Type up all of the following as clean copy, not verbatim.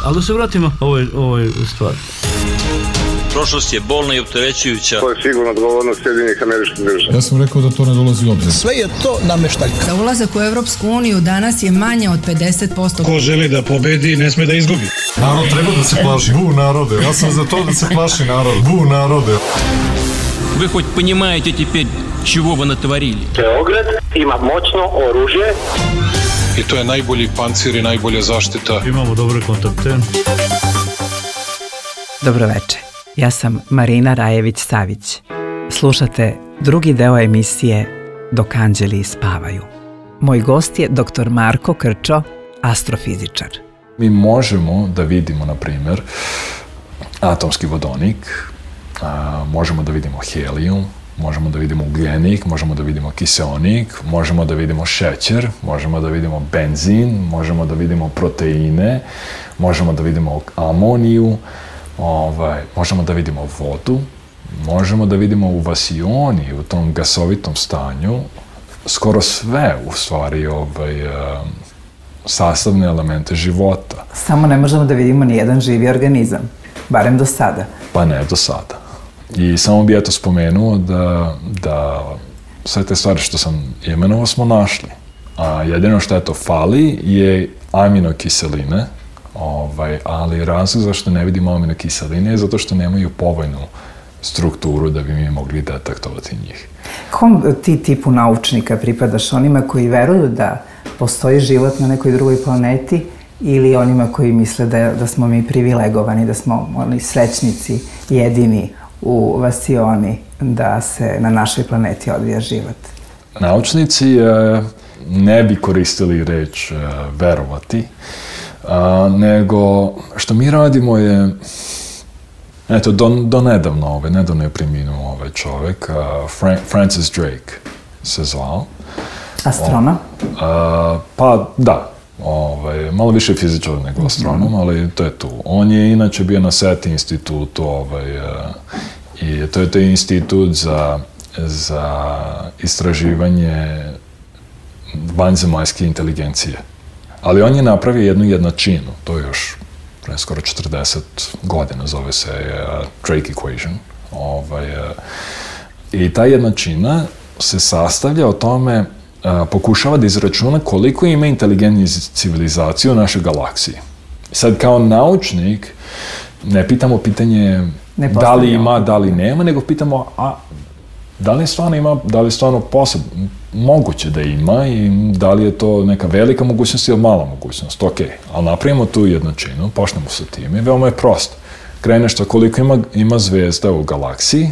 Ali da se vratimo ovoj stvari. Prošlost je bolna i opterećujuća. To je sigurno odgovornost Sjedinjenih Američkih Država. Ja sam rekao da to ne dolazi u obzir. Sve je to nameštaljka. Za ulazak u Evropsku uniju danas je manje od 50%. Ko želi da pobedi, ne sme da izgubi. Narod treba da se plaši. Bu narode. Ja sam za to da se plaši narod. Bu narode. Вы хоть понимаете теперь, чего вы натворили? Beograd ima moćno oružje. I to je najbolji pancir i najbolja zaštita. Imamo dobre kontakte. Dobroveče, ja sam Marina Rajević-Savić. Slušate drugi deo emisije Dok anđeli spavaju. Moj gost je dr. Marko Krčo, astrofizičar. Mi možemo da vidimo, na primjer, atomski vodonik, možemo da vidimo helijum, možemo da vidimo ugljenik, možemo da vidimo kiseonik, možemo da vidimo šećer, možemo da vidimo benzin, možemo da vidimo proteine, možemo da vidimo amoniju, možemo da vidimo vodu, možemo da vidimo u vasioni, u tom gasovitom stanju, skoro sve, u stvari, sastavne elemente života. Samo ne možemo da vidimo ni jedan živi organizam, barem do sada. Pa ne do sada. I samo bi eto spomenuo da sve te stvari što sam imenovao smo našli. A jedino što eto fali je aminokiseline, ali razlog zašto ne vidimo aminokiseline je zato što nemaju povoljnu strukturu da bi mi mogli detektovati njih. Kom ti tipu naučnika pripadaš? Onima koji veruju da postoji život na nekoj drugoj planeti ili onima koji misle da smo mi privilegovani, da smo oni srećnici jedini u vasioni da se na našoj planeti odvija život? Naučnici ne bi koristili reč verovati, nego što mi radimo je, eto, nedavno je preminuo ovaj čovjek, Francis Drake se zvao. Astronom? Pa da, malo više fizičar nego astronom, ali to je tu. On je inače bio na SETI institutu i to je institut za istraživanje vanzemaljske inteligencije. Ali on je napravio jednu jednačinu, to je još pre skoro 40 godina, zove se Drake Equation. I ta jednačina se sastavlja o tome, pokušava da izračuna koliko ima inteligentnih civilizacija u našoj galaksiji. Sad, kao naučnik, ne pitamo pitanje da li ima, da li nema, nego pitamo da li stvarno ima, da li stvarno moguće da ima i da li je to neka velika mogućnost ili mala mogućnost. Ok, ali napravimo tu jednačinu, počnemo sa tim i veoma je prosto. Kreneš to koliko ima zvezda u galaksiji,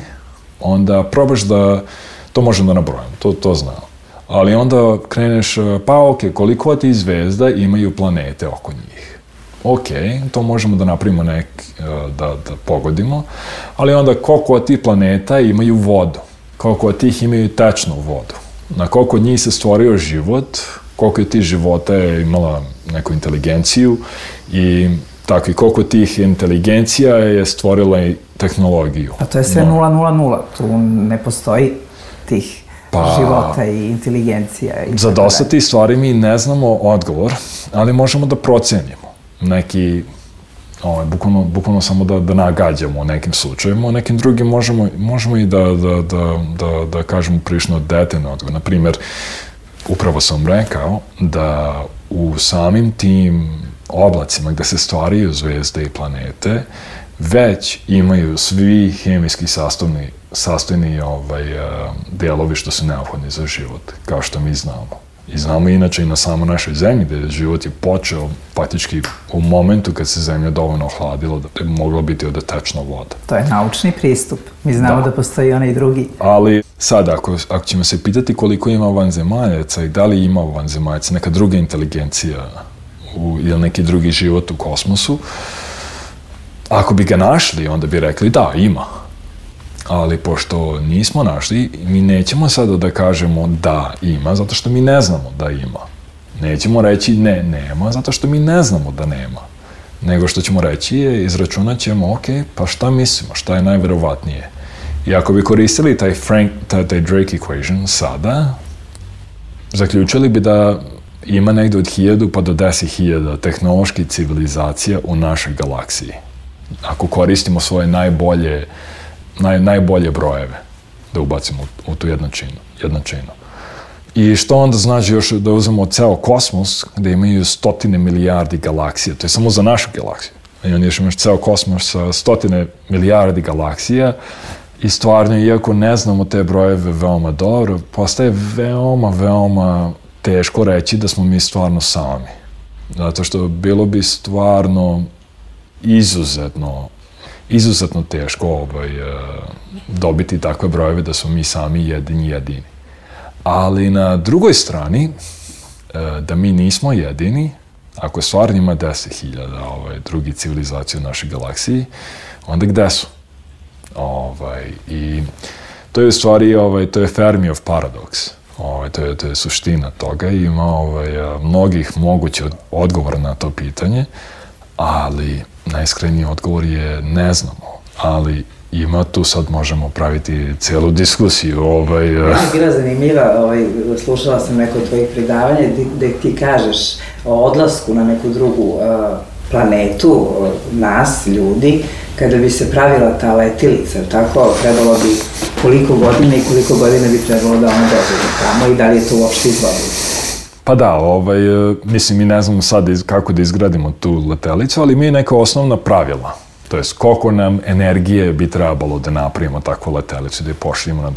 onda probaš da, to možemo da nabrojimo, to znamo. Ali onda kreneš, koliko od tih zvezda imaju planete oko njih. Ok, to možemo da napravimo da pogodimo, ali onda koliko od tih planeta imaju vodu, koliko od tih imaju tečnu vodu, na koliko od njih se stvorio život, koliko od tih života je imala neku inteligenciju i tako i koliko tih inteligencija je stvorila i tehnologiju. A to je sve 000, tu ne postoji tih života i inteligencija. Za dosta tih stvari mi ne znamo odgovor, ali možemo da procenimo. Neki, bukvalno samo da nagađamo u nekim slučajima, u nekim drugim možemo i da kažemo prilično detaljno odgovor. Naprimjer, upravo sam rekao da u samim tim oblacima gde se stvaraju zvezde i planete, već imaju svi hemijski sastavni delovi što su neophodni za život, kao što mi znamo. I znamo inače i na samo našoj zemlji, gde život je počeo praktički u momentu kad se zemlja dovoljno ohladila, da je mogla biti ovde tečna voda. To je naučni pristup. Mi znamo da postoji onaj drugi. Ali sad, ako ćemo se pitati koliko ima vanzemaljaca i da li ima vanzemaljaca neka druga inteligencija ili neki drugi život u kosmosu, ako bi ga našli, onda bi rekli da, ima. Ali pošto nismo našli, mi nećemo sada da kažemo da ima, zato što mi ne znamo da ima. Nećemo reći ne, nema, zato što mi ne znamo da nema. Nego što ćemo reći je, izračunat ćemo, ok, pa šta mislimo, šta je najverovatnije. I ako bi koristili taj Drake Equation sada, zaključili bi da ima negde od 1000 pa do 10.000 tehnoloških civilizacija u našoj galaksiji. Ako koristimo svoje najbolje brojeve da ubacimo u tu jednačinu. I što onda znači još da uzmemo ceo kosmos gde imaju 100 milijardi galaksija, to je samo za našu galaksiju. I onda još imaš ceo kosmos sa 100 milijardi galaksija i stvarno, iako ne znamo te brojeve veoma dobro, postaje veoma teško reći da smo mi stvarno sami. Zato što bilo bi stvarno izuzetno teško dobiti takve brojeve da smo mi sami jedini. Ali na drugoj strani, da mi nismo jedini, ako stvarno ima 10.000 drugih civilizacija u našoj galaksiji, onda gde su? I to je u stvari, to je Fermiov paradoks. To je suština toga i ima mnogih mogućih odgovora na to pitanje, ali najiskreniji odgovor je ne znamo, ali ima tu, sad možemo praviti celu diskusiju. Meni je bila zanimljiva, slušala sam neko od tvojih predavanja gde ti kažeš o odlasku na neku drugu planetu, nas, ljudi, kada bi se pravila ta letilica, tako, trebalo bi koliko godina i koliko godina bi trebalo da ona dođe do tamo i da li je to uopšte izvodilo? Pa da, mislim, mi ne znamo sad kako da izgradimo tu letelicu, ali mi je neka osnovna pravila. To jest, koliko nam energije bi trebalo da napravimo takvu letelicu, da je pošaljemo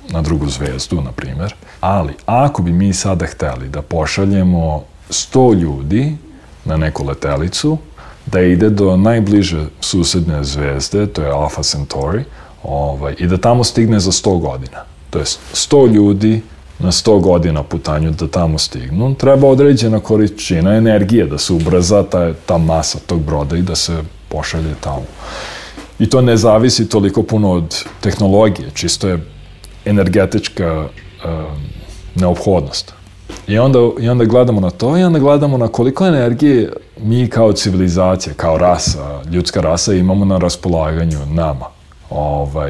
na drugu zvezdu, na primjer. Ali, ako bi mi sada hteli da pošaljemo 100 ljudi na neku letelicu, da ide do najbliže susedne zvezde, to je Alpha Centauri, i da tamo stigne za 100 godina. To jest, 100 ljudi na 100 godina putanju da tamo stignu, treba određena količina energije da se ubrza ta masa tog broda i da se pošalje tamo. I to ne zavisi toliko puno od tehnologije, čisto je energetička neophodnost. I onda gledamo na to i onda gledamo na koliko energije mi kao civilizacija, kao rasa, ljudska rasa imamo na raspolaganju nama.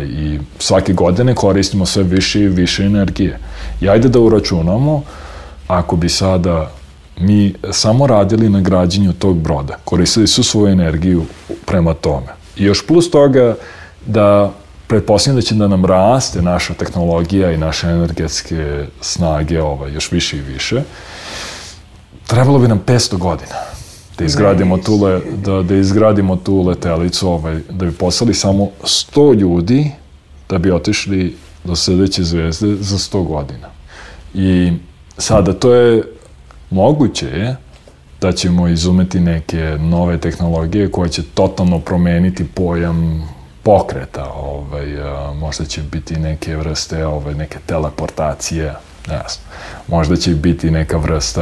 I svake godine koristimo sve više i više energije. I ajde da uračunamo, ako bi sada mi samo radili na građenju tog broda, koristili su svoju energiju prema tome. I još plus toga da pretpostavljam da će da nam raste naša tehnologija i naše energetske snage još više i više, trebalo bi nam 500 godina da izgradimo tu letelicu, da bi poslali samo 100 ljudi da bi otišli do sledeće zvezde za 100 godina. I sada to je moguće da ćemo izumeti neke nove tehnologije koje će totalno promeniti pojam pokreta. Možda će biti neke vrste, neke teleportacije, ne znam. Možda će biti neka vrsta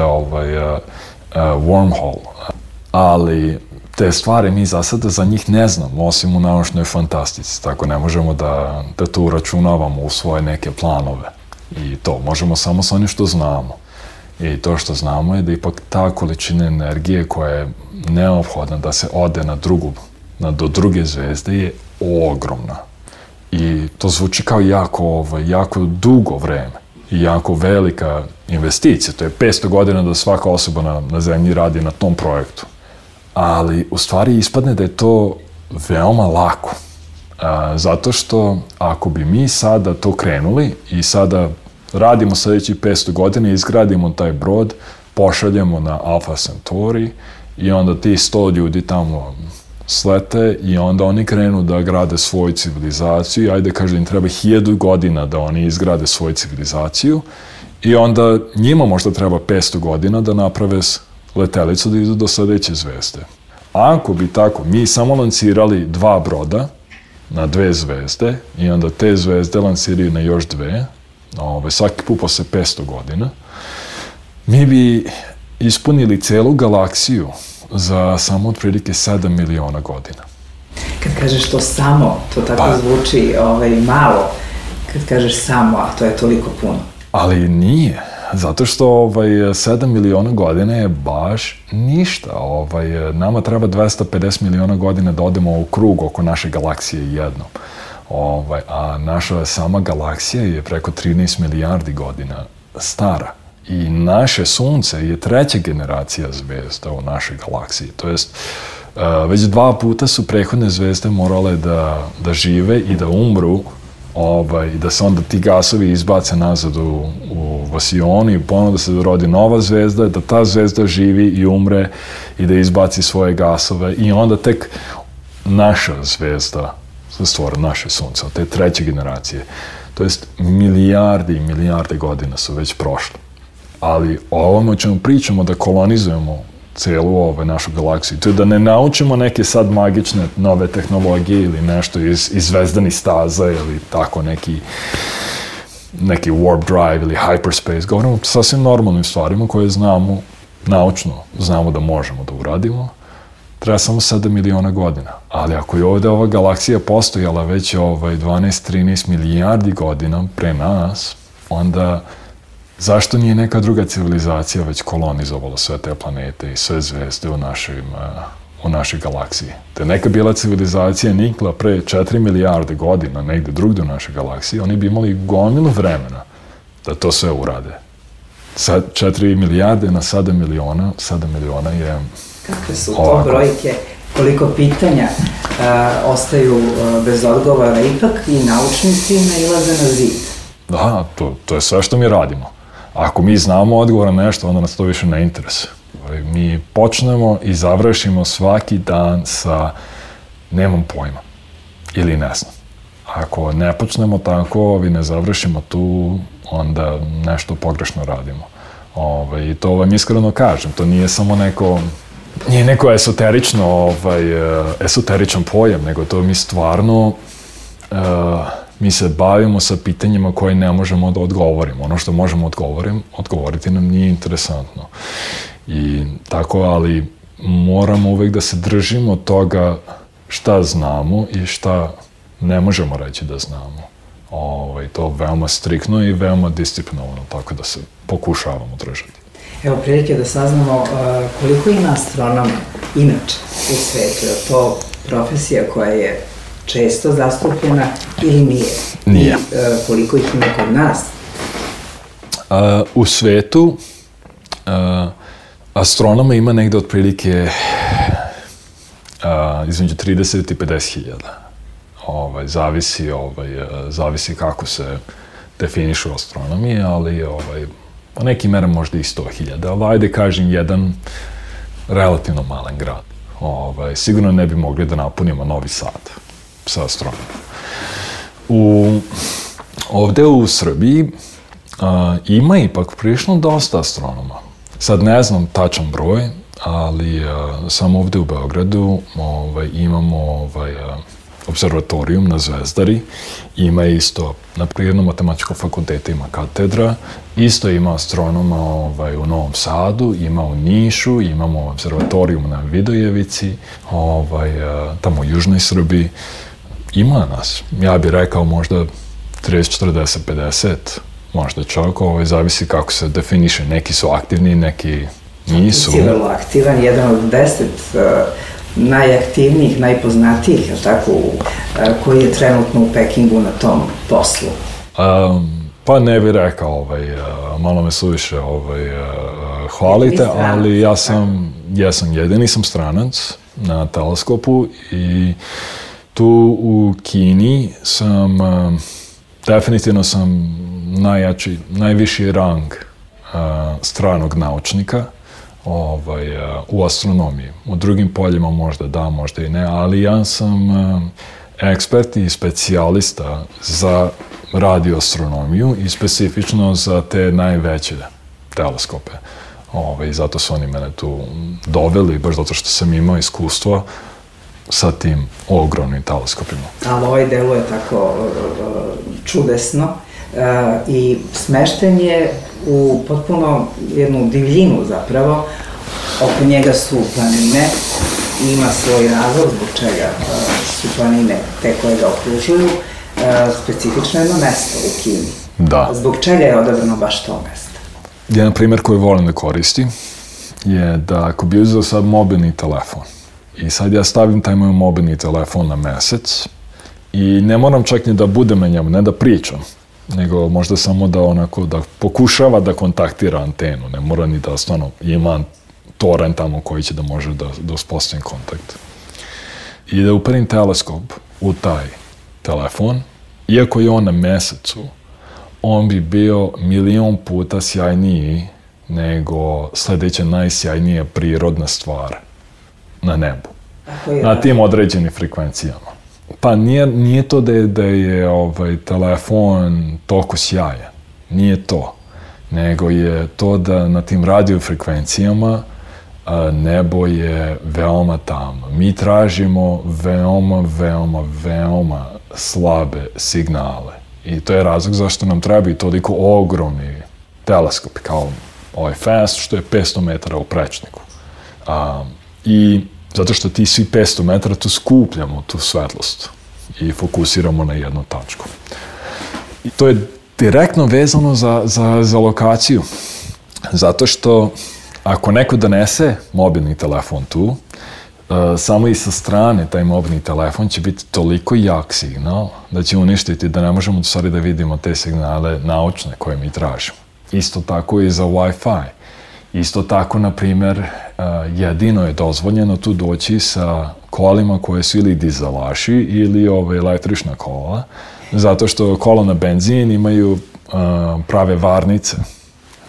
wormhole. Ali te stvari mi za sada za njih ne znamo, osim u naučnoj fantastici. Tako ne možemo da to uračunavamo u svoje neke planove. I to možemo samo sa onim što znamo. I to što znamo je da ipak ta količina energije koja je neophodna da se ode do druge zvezde je ogromna. I to zvuči kao jako dugo vreme i jako velika investicija. To je 500 godina da svaka osoba na zemlji radi na tom projektu. Ali u stvari ispadne da je to veoma lako. Zato što ako bi mi sada to krenuli i sada radimo sledećih 500 godina i izgradimo taj brod, pošaljemo na Alpha Centauri i onda ti 100 ljudi tamo slete i onda oni krenu da grade svoju civilizaciju i ajde kaže im treba 1000 godina da oni izgrade svoju civilizaciju i onda njima možda treba 500 godina da naprave letelicu da idu do sledeće zvezde. Ako bi tako mi samo lancirali 2 broda na 2 zvezde i onda te zvezde lanciraju na još 2, svaki put posle 500 godina, mi bi ispunili celu galaksiju za samo otprilike 7 miliona godina. Kad kažeš to samo, to tako zvuči malo. Kad kažeš samo, a to je toliko puno. Ali nije, zato što 7 miliona godina je baš ništa. Nama treba 250 miliona godina da odemo u krug oko naše galaksije jednom. A naša sama galaksija je preko 13 milijardi godina stara. I naše sunce je treća generacija zvezda u našoj galaksiji. To jest, već 2 puta su prethodne zvezde morale da žive i da umru, da se onda ti gasovi izbace nazad u vasioni i ponovno da se rodi nova zvezda, da ta zvezda živi i umre i da izbaci svoje gasove i onda tek naša zvezda se stvara, naše sunce, od te treće generacije. To jest, milijarde i milijarde godina su već prošle. Ali o ovome o čemu pričamo, da kolonizujemo celu našu galaksiju, to je da ne naučimo neke sad magične nove tehnologije ili nešto iz zvezdanih staza ili tako neki warp drive ili hyperspace. Govorimo o sasvim normalnim stvarima koje znamo, naučno znamo da možemo da uradimo. Treba samo 7 miliona godina. Ali ako je ovdje ova galaksija postojala već 12-13 milijardi godina pre nas, onda zašto nije neka druga civilizacija već kolonizovala sve te planete i sve zvezde u našoj galaksiji? Da je neka bila civilizacija nikla pre 4 milijarde godina negde drugde u našoj galaksiji, oni bi imali gomilu vremena da to sve urade. Sad 4 milijarde na 7 miliona je... Kakve su to brojke? Koliko pitanja ostaju bez odgovora? Ipak i naučnici nailaze na zid. Da, to je sve što mi radimo. Ako mi znamo odgovor na nešto, onda nas to više ne interesuje. Mi počnemo i završimo svaki dan sa nemam pojma ili ne znam. Ako ne počnemo tako i ne završimo tu, onda nešto pogrešno radimo. I to vam iskreno kažem, to nije samo neko esoteričan pojam, nego to mi stvarno mi se bavimo sa pitanjima koje ne možemo da odgovorimo. Ono što možemo odgovoriti nam nije interesantno. I tako, ali moramo uvek da se držimo toga šta znamo i šta ne možemo reći da znamo. To veoma striktno i veoma disciplinovano, tako da se pokušavamo držati. Evo prilike da saznamo koliko ima astronoma inače u svetu. Je to profesija koja je često zastupljena ili nije? Nije. I koliko ih ima kod nas? U svetu astronoma ima negde otprilike između 30 i 50 hiljada. Zavisi kako se definišu astronomi, ali po nekim merama možda i 100.000, ali ajde kažem jedan relativno malen grad. Sigurno ne bi mogli da napunimo Novi Sad sa astronomom. Ovde u Srbiji ima ipak prilično dosta astronoma. Sad ne znam tačan broj, ali samo ovde u Beogradu imamo observatorijum na Zvezdari, ima isto, na Prirodno-matematičkom fakultetu ima katedra, isto ima astronoma u Novom Sadu, ima u Nišu, imamo observatorijum na Vidojevici, tamo u Južnoj Srbiji. Ima nas, ja bih rekao možda 30, 40, 50, možda čak, zavisi kako se definiše, neki su aktivni, neki nisu. Ti je vrlo aktivan, jedan od 10 najaktivnijih, najpoznatijih, tako, koji je trenutno u Pekingu na tom poslu? Pa ne bih rekao, malo me suviše hvalite, ali ja sam jedini sam stranac na teleskopu i tu u Kini sam, definitivno sam najviši rang stranog naučnika u astronomiji. U drugim poljima možda da, možda i ne, ali ja sam ekspert i specijalista za radioastronomiju i specifično za te najveće teleskope. I zato su oni mene tu doveli, baš zato što sam imao iskustvo sa tim ogromnim teleskopima. Ali ovaj delo je tako čudesno i smešten je u potpuno jednu divljinu zapravo. Oko njega su planine, ima svoj razlog zbog čega su planine te koje ga okružuju, specifično jedno mesto u Kini. Da. Zbog čega je odabrano baš to mesto? Jedan primjer koji volim da koristim je da ako bi uzeo sad mobilni telefon i sad ja stavim taj moj mobilni telefon na mesec i ne moram čak ni da budem na njemu, ne da pričam, nego možda samo da pokušava da kontaktira antenu, ne mora ni da stvarno ima toren tamo koji će da može da uspostavim kontakt. I da uperim teleskop u taj telefon, iako je on na mesecu, on bi bio 1.000.000 puta sjajniji nego sledeća najsjajnija prirodna stvar na nebu. Na tim određenim frekvencijama. Pa nije to da je telefon toliko sjajan. Nije to. Nego je to da na tim radiofrekvencijama nebo je veoma tamno. Mi tražimo veoma slabe signale. I to je razlog zašto nam treba i toliko ogromni teleskopi, kao ovaj FAST, što je 500 metara u prečniku. I zato što ti svi 500 metara tu skupljamo tu svetlost i fokusiramo na jednu tačku. I to je direktno vezano za lokaciju. Zato što ako neko donese mobilni telefon tu, samo i sa strane taj mobilni telefon će biti toliko jak signal da će uništiti da ne možemo u stvari da vidimo te signale naučne koje mi tražimo. Isto tako i za Wi-Fi. Isto tako, na primjer, jedino je dozvoljeno tu doći sa kolima koje su ili dizelaši ili električna kola, zato što kola na benzin imaju prave varnice,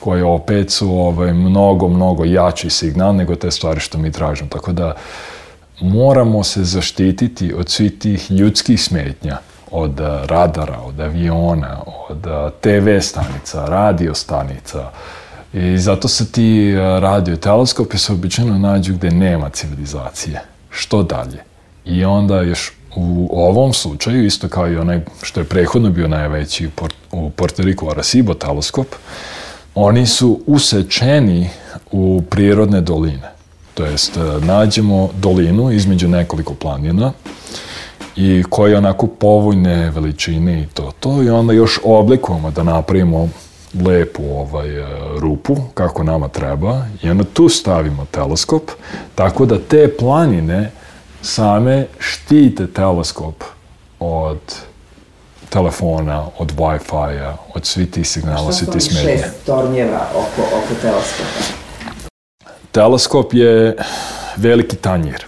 koje opet su mnogo jači signal nego te stvari što mi tražimo. Tako da moramo se zaštititi od svih tih ljudskih smetnja, od radara, od aviona, od TV stanica, radio stanica. I zato se ti radioteleskopi se obično nađu gde nema civilizacije. Što dalje? I onda još u ovom slučaju, isto kao i onaj što je prethodno bio najveći u Puerto Riku Arecibo teleskop, oni su usečeni u prirodne doline. To jest, nađemo dolinu između nekoliko planina i koje je onako povoljne veličine i to i onda još oblikujemo da napravimo lepu rupu kako nama treba i onda tu stavimo teleskop tako da te planine same štite teleskop od telefona, od Wi-Fi-a, od svih tih signala, svih tih smetnje. Šta su 6 tornjeva oko teleskopa? Teleskop je veliki tanjir.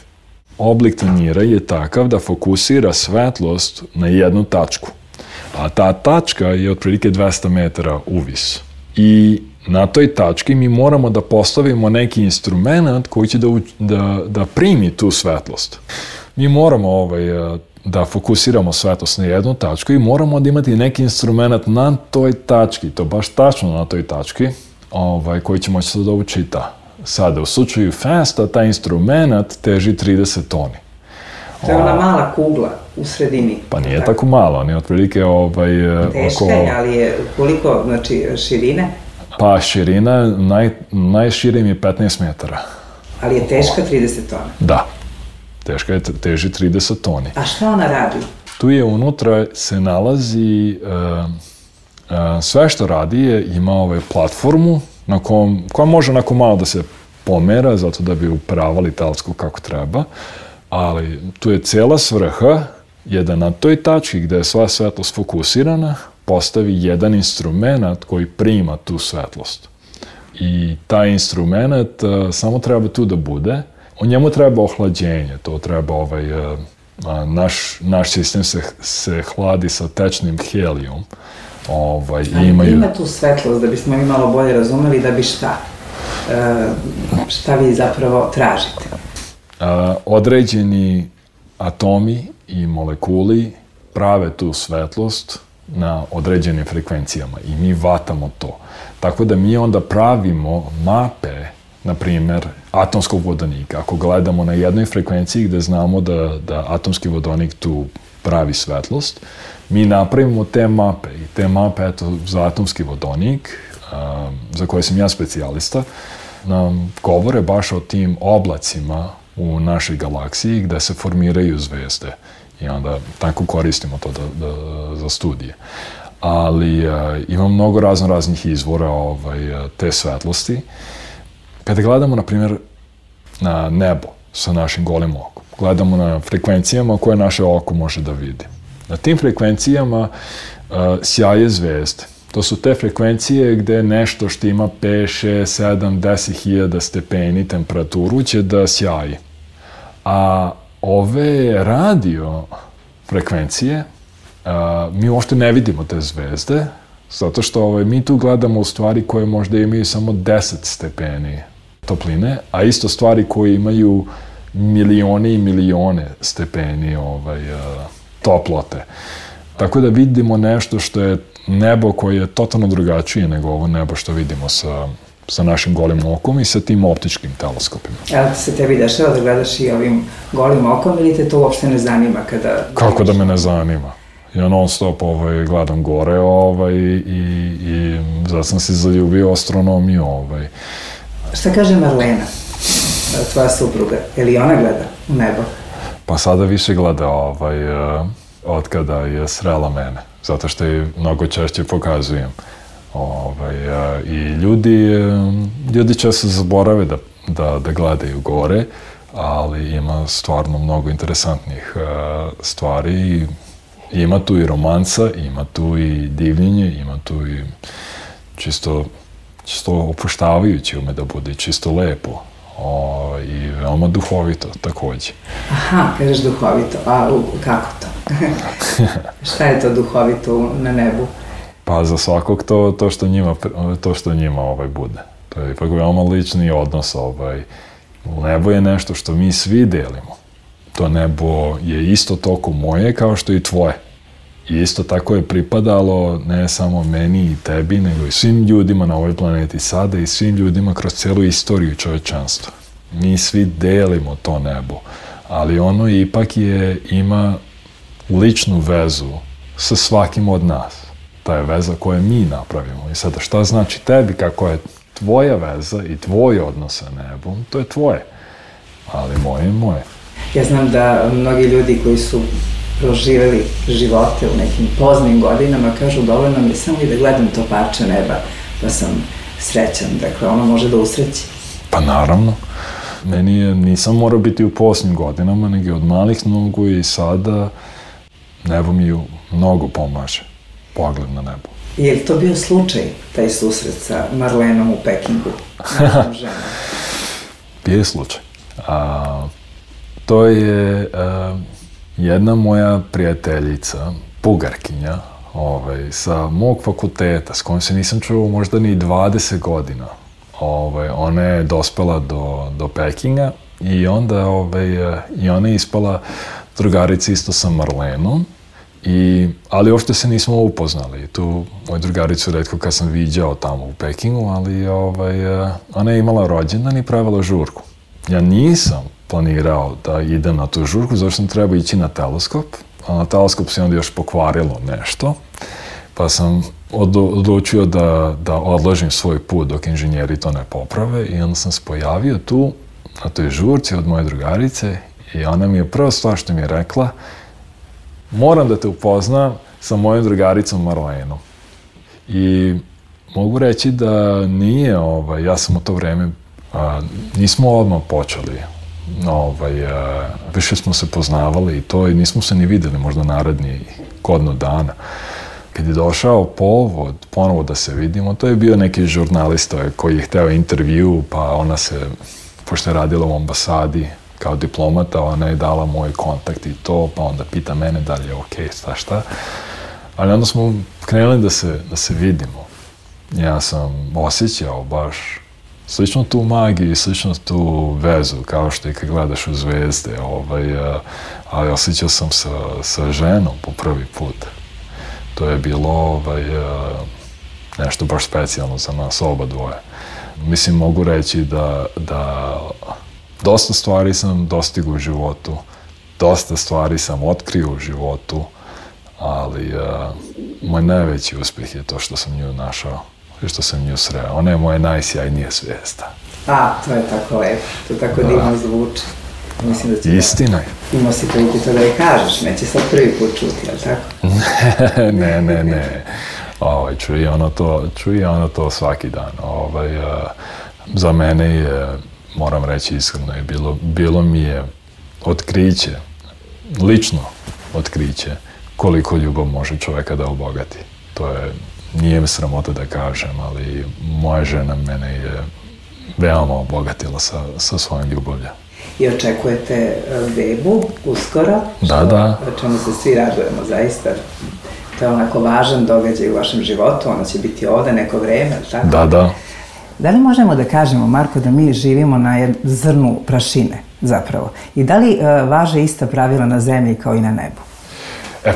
Oblik tanjira je takav da fokusira svetlost na jednu tačku. A ta tačka je otprilike 200 metara uvis. I na toj tački mi moramo da postavimo neki instrument koji će da primi tu svetlost. Mi moramo da fokusiramo svetlost na jednu tačku i moramo da imati neki instrument na toj tački, to baš tačno na toj tački, koji će moći da učita. Sada, u slučaju FAST-a, taj instrument teži 30 toni. To je ona mala kugla u sredini. Pa nije tako malo, on je otprilike teška je, ali je koliko, znači, širine? Pa širina, najširim je 15 metara. Ali je teška 30 tona? Da, teži 30 toni. A šta ona radi? Tu je unutra se nalazi, sve što radi je, ima platformu koja može onako malo da se pomera, zato da bi upravali teleskop kako treba, ali tu je cijela svrha je da na toj tački gde je sva svetlost fokusirana postavi jedan instrument koji prima tu svetlost. I taj instrument samo treba tu da bude. U njemu treba ohlađenje, to treba naš sistem se hladi sa tečnim helijom. Ima tu svetlost, da bismo mi malo bolje razumeli, da bi šta? Šta vi zapravo tražite? Određeni atomi i molekuli prave tu svetlost na određenim frekvencijama i mi vatamo to. Tako da mi onda pravimo mape, na primjer, atomskog vodonika. Ako gledamo na jednoj frekvenciji gde znamo da atomski vodonik tu pravi svetlost, mi napravimo te mape i te mape, eto, za atomski vodonik, za koje sam ja specijalista, nam govore baš o tim oblacima u našoj galaksiji gde se formiraju zvezde i onda tako koristimo to za studije. Ali ima mnogo raznih izvora te svetlosti. Kada gledamo, na primjer, na nebo sa našim golim okom, gledamo na frekvencijama koje naše oko može da vidi. Na tim frekvencijama sjaje zvezde. To su te frekvencije gde nešto što ima 5, 6, 7, 10.000 stepeni temperaturu će da sjaji. A ove radio frekvencije, mi uopšte ne vidimo te zvezde, zato što mi tu gledamo u stvari koje možda imaju samo 10 stepeni topline, a isto stvari koje imaju milione i milione stepeni toplote. Tako da vidimo nešto što je nebo koje je totalno drugačije nego ovo nebo što vidimo sa našim golim okom i sa tim optičkim teleskopima. Ali se tebi dešava da gledaš i ovim golim okom ili te to uopšte ne zanima kada... Kako da me ne zanima? Ja non stop gledam gore i zato sam se zaljubio astronomiju. Šta kaže Marlena, tvoja supruga? Je li ona gleda u nebo? Pa sada više gleda od kada je srela mene, zato što je mnogo češće pokazujem. I ljudi često zaborave da gledaju gore, ali ima stvarno mnogo interesantnih stvari. Ima tu i romansa, ima tu i divljenje, ima tu i čisto opuštavajuće ume da bude, čisto lepo. I veoma duhovito takođe. Aha, kažeš duhovito, a kako to? Šta je to duhovito na nebu? Pa za svakog to što njima bude. To je ipak veoma lični odnos. Nebo je nešto što mi svi delimo. To nebo je isto toliko moje kao što i tvoje. I isto tako je pripadalo ne samo meni i tebi, nego i svim ljudima na ovoj planeti sada i svim ljudima kroz celu istoriju čovečanstva. Mi svi delimo to nebo, ali ono ipak ima ličnu vezu sa svakim od nas. Ta je veza koju mi napravimo. I sada šta znači tebi, kako je tvoja veza i tvoj odnos sa nebom, to je tvoje. Ali moje je moje. Ja znam da mnogi ljudi koji su proživjeli živote u nekim poznim godinama kažu dovoljno mi samo i da gledam to parče neba, pa sam srećan. Dakle, ono može da usreći. Pa naravno. Nisam morao biti u posljednjim godinama, nego od malih nogu i sada nebo mi mnogo pomaže. Pogled na nebo. Je li to bio slučaj, taj susret sa Marlenom u Pekingu? Bio je slučaj. To je jedna moja prijateljica, Bugarkinja, sa mog fakulteta, s kojom se nisam čuo možda ni 20 godina. Ona je dospela do Pekinga i onda ona je ispala drugarica isto sa Marlenom, ali uopšte se nismo upoznali. Tu moju drugaricu retko kad sam viđao tamo u Pekingu, ali ona je imala rođendan i pravila žurku. Ja nisam planirao da idem na tu žurku, zato sam trebao ići na teleskop, a na teleskop se onda još pokvarilo nešto, pa sam odlučio da odložim svoj put dok inženjeri to ne poprave i onda sam se pojavio tu na toj žurci od moje drugarice i ona mi je prva stvar što mi je rekla: moram da te upoznam sa mojom drugaricom Marlenom. I mogu reći da nije, ja sam u to vreme, nismo odmah počeli, više smo se poznavali i to, i nismo se ni videli možda naredni godinu dana. Kad je došao povod ponovo da se vidimo, to je bio neki žurnalista koji je hteo intervju, pa ona se, pošto je radila u ambasadi kao diplomata, ona je dala moj kontakt i to, pa onda pita mene da li je okej, šta. Ali onda smo krenuli da se vidimo. Ja sam osjećao baš slično tu magiju i slično tu vezu, kao što i kad gledaš u zvezde, ali osjećao sam sa ženom po prvi put. To je bilo nešto baš specijalno za nas oba dvoje. Mislim, mogu reći da dosta stvari sam dostigao u životu, dosta stvari sam otkrio u životu, ali moj najveći uspjeh je to što sam nju našao i što sam nju sreo. Ona je moja najsjajnija zvijezda. To je tako lepo, to tako divno zvuči. Mislim da će istina je. Imao si prilike to da je kažeš, neće sad prvi put čuti, ali tako? Ne. Čuje ona to svaki dan. Za mene je, moram reći iskreno, bilo mi je otkriće, lično otkriće, koliko ljubav može čovjeka da obogati. To je, nije mi sramota da kažem, ali moja žena mene je veoma obogatila sa svojom ljubavlju. I očekujete bebu uskoro? Da. O čemu se svi radujemo, zaista. To je onako važan događaj u vašem životu, ona će biti ovde neko vreme, tako? Da. Da li možemo da kažemo, Marko, da mi živimo na zrnu prašine, zapravo? I da li važe ista pravila na zemlji kao i na nebu?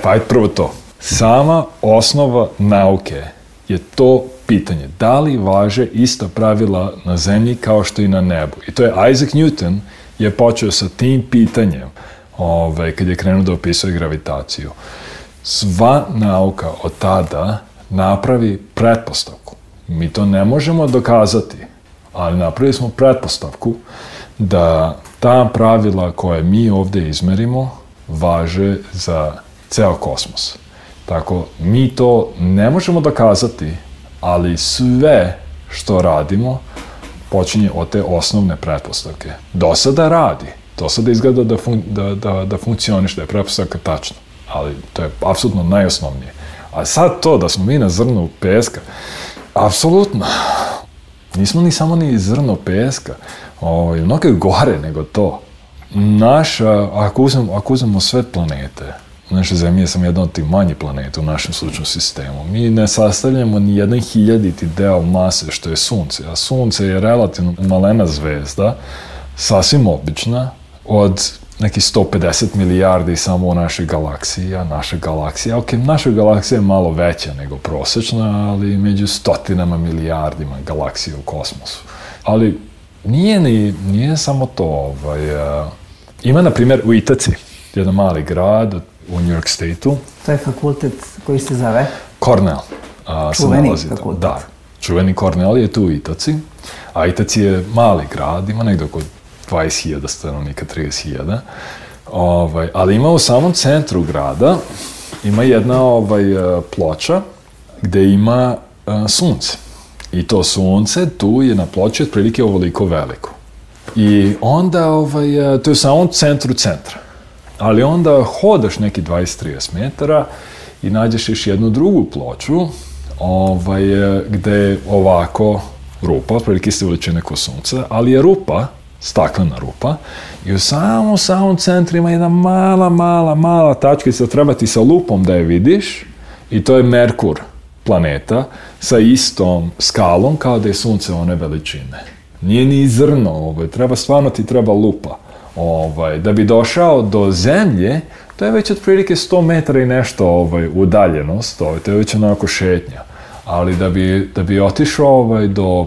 Pa ajde prvo to. Sama osnova nauke je to pitanje. Da li važe ista pravila na zemlji kao što i na nebu? I to je Isaac Newton je počeo sa tim pitanjem kad je krenuo da opisuje gravitaciju. Sva nauka od tada napravi pretpostavku. Mi to ne možemo dokazati, ali napravili smo pretpostavku da ta pravila koje mi ovdje izmerimo važe za ceo kosmos. Tako, mi to ne možemo dokazati, ali sve što radimo počinje od te osnovne pretpostavke. Do sada radi. Do sada izgleda da funkcioniš, da je pretpostavka tačna. Ali to je apsolutno najosnovnije. A sad to da smo mi na zrnu peska, apsolutno. Nismo ni samo ni zrno peska. Mnogo je gore nego to. Ako uzmemo sve planete, naša Zemlja je samo jedna od tih manjih planeta u našem sunčnom sistemu. Mi ne sastavljamo ni 1/1000 deo mase što je Sunce, a Sunce je relativno malena zvezda, sasvim obična, od nekih 150 milijardi samo u našoj galaksiji, a naša galaksija je malo veća nego prosječna, ali među stotinama milijardima galaksija u kosmosu. Ali nije samo to. Ima, na primjer, u Itaci, jedan mali grad u New York State-u. To je fakultet koji se zove? Cornell. Čuveni fakultet. Da, čuveni Cornell je tu u Itaci, a Itaci je mali grad, ima negdje oko 20.000 stanovnika, 30.000. Ali ima u samom centru grada, ima jedna ploča gdje ima sunce. I to sunce tu je na ploči otprilike ovoliko veliko. I onda, to je u samom centru centra. Ali onda hodaš neki 20-30 metara i nađeš još jednu drugu ploču gdje je ovako rupa, otprilike iste veličine ko sunce, ali je rupa, staklena rupa, i u samom centru ima jedna mala tačkica, treba ti sa lupom da je vidiš, i to je Merkur, planeta, sa istom skalom kao da je sunce one veličine. Nije ni zrno, stvarno ti treba lupa. Da bi došao do Zemlje, to je već otprilike 100 metara i nešto udaljenost, to je već onako šetnja. Ali da bi otišao do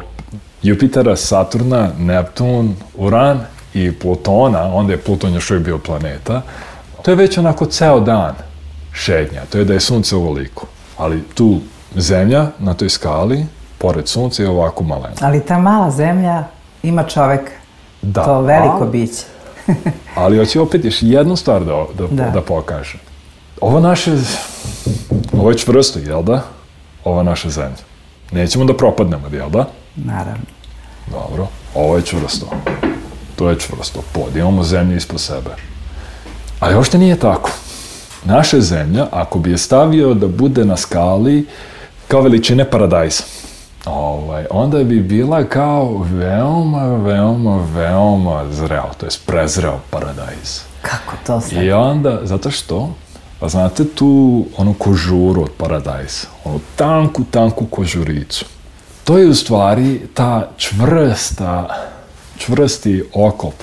Jupitera, Saturna, Neptun, Uran i Plutona, onda je Pluton još uvijek bio planeta, to je već onako ceo dan šetnja, to je da je sunce ovoliko. Ali tu Zemlja na toj skali, pored sunca, je ovako malena. Ali ta mala Zemlja ima čovek, to veliko biće. Ali hoću opet još jednu stvar da pokažem. Ovo je čvrsto, jel da? Ova naša Zemlja. Nećemo da propadnemo, jel da? Naravno. Dobro, ovo je čvrsto. To je čvrsto. Imamo Zemlju ispod sebe. Ali uopšte nije tako. Naša Zemlja, ako bi je stavio da bude na skali kao veličine paradajza, onda bi bila kao veoma zreo, to je prezreo paradajz. Kako to sad? I onda, zato što, pa znate tu onu kožuru od paradajza, onu tanku kožuricu. To je u stvari ta čvrsti okop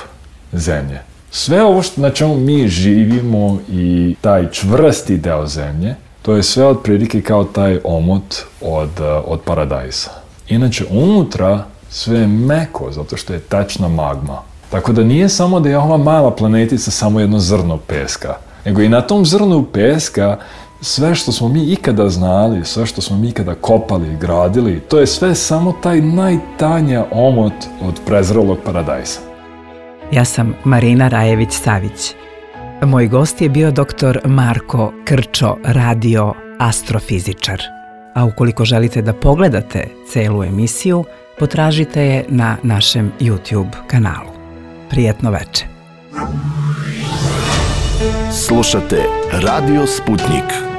Zemlje. Sve ovo na čemu mi živimo i taj čvrsti deo Zemlje, to je sve otprilike kao taj omot od paradajza. Inače, unutra sve je meko, zato što je tečna magma. Tako da nije samo da je ova mala planetica samo jedno zrno peska, nego i na tom zrnu peska sve što smo mi ikada znali, sve što smo mi ikada kopali i gradili, to je sve samo taj najtanja omot od prezrelog paradajza. Ja sam Marina Rajević-Savić. Moj gost je bio dr. Marko Krčo, radio astrofizičar. A ukoliko želite da pogledate celu emisiju, potražite je na našem YouTube kanalu. Prijetno veče. Slušate Radio Sputnik.